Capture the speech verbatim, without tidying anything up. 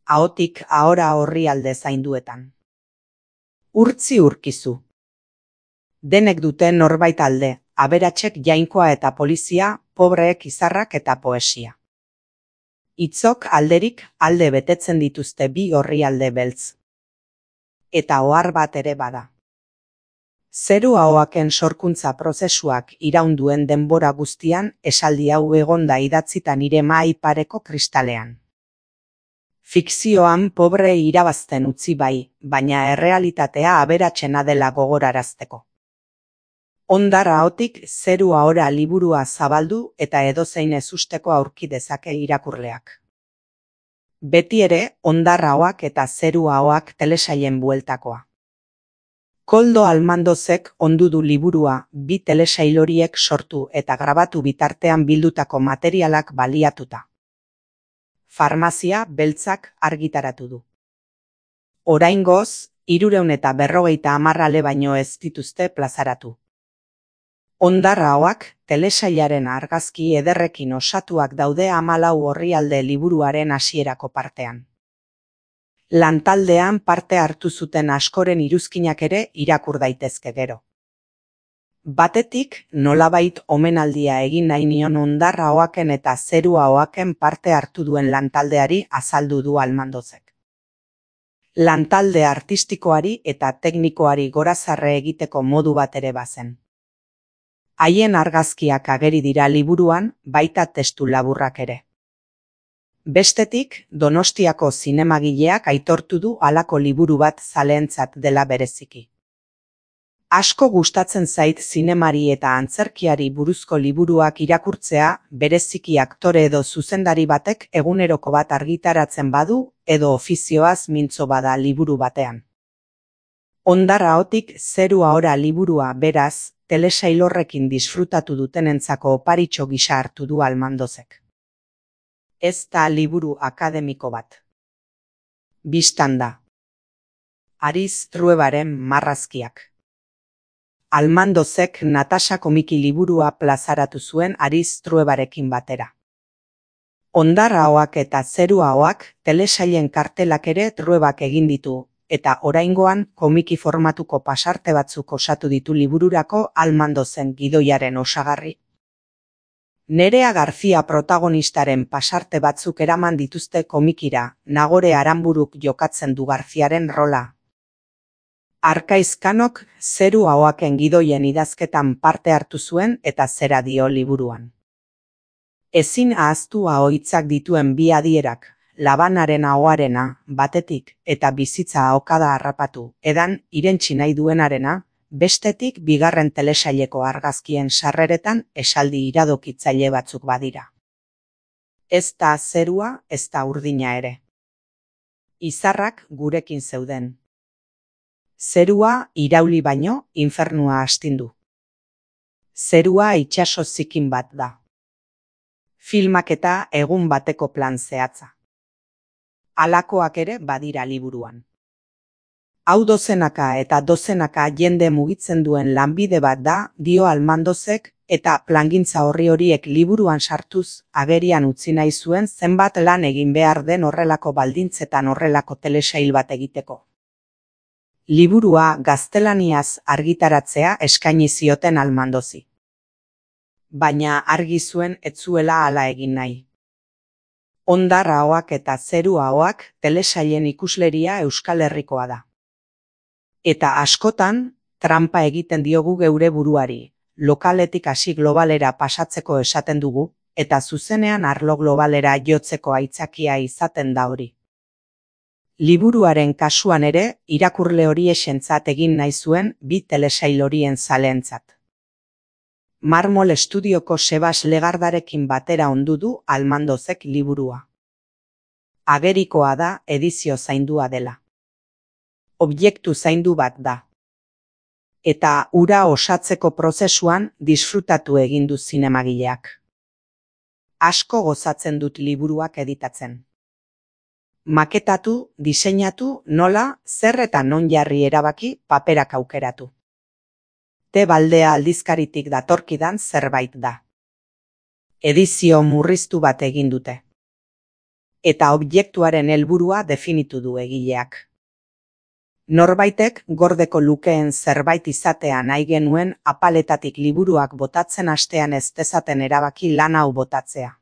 ahotik ahora orrialde zainduetan. Urtzi urkizu. Denek dute norbait alde, aberatsek jainkoa eta polizia, pobreek izarrak eta poesia. Hitzok alderik alde betetzen dituzte bi orrialde beltz. Eta ohar bat ere bada. Zeru ahoaken sorkuntza prozesuak iraunduen denbora guztian esaldi hau egonda idatzita nire mahai pareko kristalean. Fikzioan pobre irabazten utzi bai, baina errealitatea aberatsena dela gogorarazteko. Hondar ahotik zeru ahora liburua zabaldu eta edozein ezusteko aurki dezake irakurleak. Beti ere, hondar ahoak eta zeru ahoak telesailen bueltakoa. Koldo Almandozek ondu du liburua bi telesail horiek sortu eta grabatu bitartean bildutako materialak baliatuta. Farmazia beltzak argitaratu du. Oraingoz, hirurehun eta berrogeita hamar ale baino ez dituzte plazaratu. Hondar ahoak telesailaren argazki ederrekin osatuak daude hamalau orrialde liburuaren hasierako partean. Lantaldean parte hartu zuten askoren iruzkinak ere irakur daitezke gero. Batetik, nolabait omenaldia egin nahi nion hondar ahoaken eta zeru ahoaken parte hartu duen lantaldeari azaldu du Almandozek. Lantalde artistikoari eta teknikoari gorazarre egiteko modu bat ere bazen. Haien argazkiak ageri dira liburuan, baita testu laburrak ere. Bestetik, Donostiako zinemagileak aitortu du halako liburu bat zaleentzat dela bereziki. Asko gustatzen zait zinemari eta antzerkiari buruzko liburuak irakurtzea, bereziki aktore edo zuzendari batek eguneroko bat argitaratzen badu edo ofizioaz mintzo bada liburu batean. Hondar ahotik zeru ahora liburua beraz, telesail horrekin disfrutatu dutenentzako oparitxo gisa hartu du Almandozek. Ez da liburu akademiko bat. Bistan da. Ariz Truebaren marrazkiak. Almandozek Natasha komiki liburua plazaratu zuen Ariz Truebarekin batera. Hondar ahoak eta zeru ahoak telesailen kartelak ere Truebak egin ditu, eta oraingoan komiki formatuko pasarte batzuk osatu ditu libururako Almandozen gidoiaren osagarri. Nerea García protagonistaren pasarte batzuk eraman dituzte komikira, Nagore Aranburuk jokatzen du Garziaren rola. Arkaizkanok zeru ahoaken gidoien idazketan parte hartu zuen eta zera dio liburuan. Ezin ahaztu ahoitzak dituen bi adierak, labanaren ahoarena, batetik, eta bizitza ahokada harrapatu, edan irentsi nahi duenarena, bestetik bigarren telesaileko argazkien sarreretan esaldi iradokitzaile batzuk badira. Ez da zerua, ez da urdina ere. Izarrak gurekin zeuden. Zerua irauli baino infernua astindu. Zerua itsaso zikin bat da. Filmak eta egun bateko plan zehatza. Halakoak ere badira liburuan. Hau dozenaka eta dozenaka jende mugitzen duen lanbide bat da, dio Almandozek, eta plangintza horri horiek liburuan sartuz, agerian utzi nahi zuen zenbat lan egin behar den horrelako baldintzetan horrelako telesail bat egiteko. Liburua gaztelaniaz argitaratzea eskaini zioten Almandozi. Baina argi zuen ez zuela hala egin nahi. Hondar ahoak eta zeru ahoak telesailen ikusleria Euskal Herrikoa da. Eta askotan, trampa egiten diogu geure buruari, lokaletik hasi globalera pasatzeko esaten dugu, eta zuzenean arlo globalera jotzeko aitzakia izaten da hori. Liburuaren kasuan ere, irakurle hori esentzat egin nahi zuen bi telesail horien zaleentzat. Marmol Estudioko Sebas Legardarekin batera ondu du Almandozek liburua. Agerikoa da edizio zaindua dela. Objektu zaindu bat da. Eta ura osatzeko prozesuan disfrutatu egin du zinemagileak. Asko gozatzen dut liburuak editatzen. Maketatu, diseinatu, nola, zer eta non jarri erabaki paperak aukeratu. Te Baldea aldizkaritik datorkidan zerbait da. Edizio murriztu bat egin dute. eta objektuaren helburua definitu du egileak. Norbaitek gordeko lukeen zerbait izatea nahi genuen apaletatik liburuak botatzen hastean ez dezaten erabaki lan hau botatzea.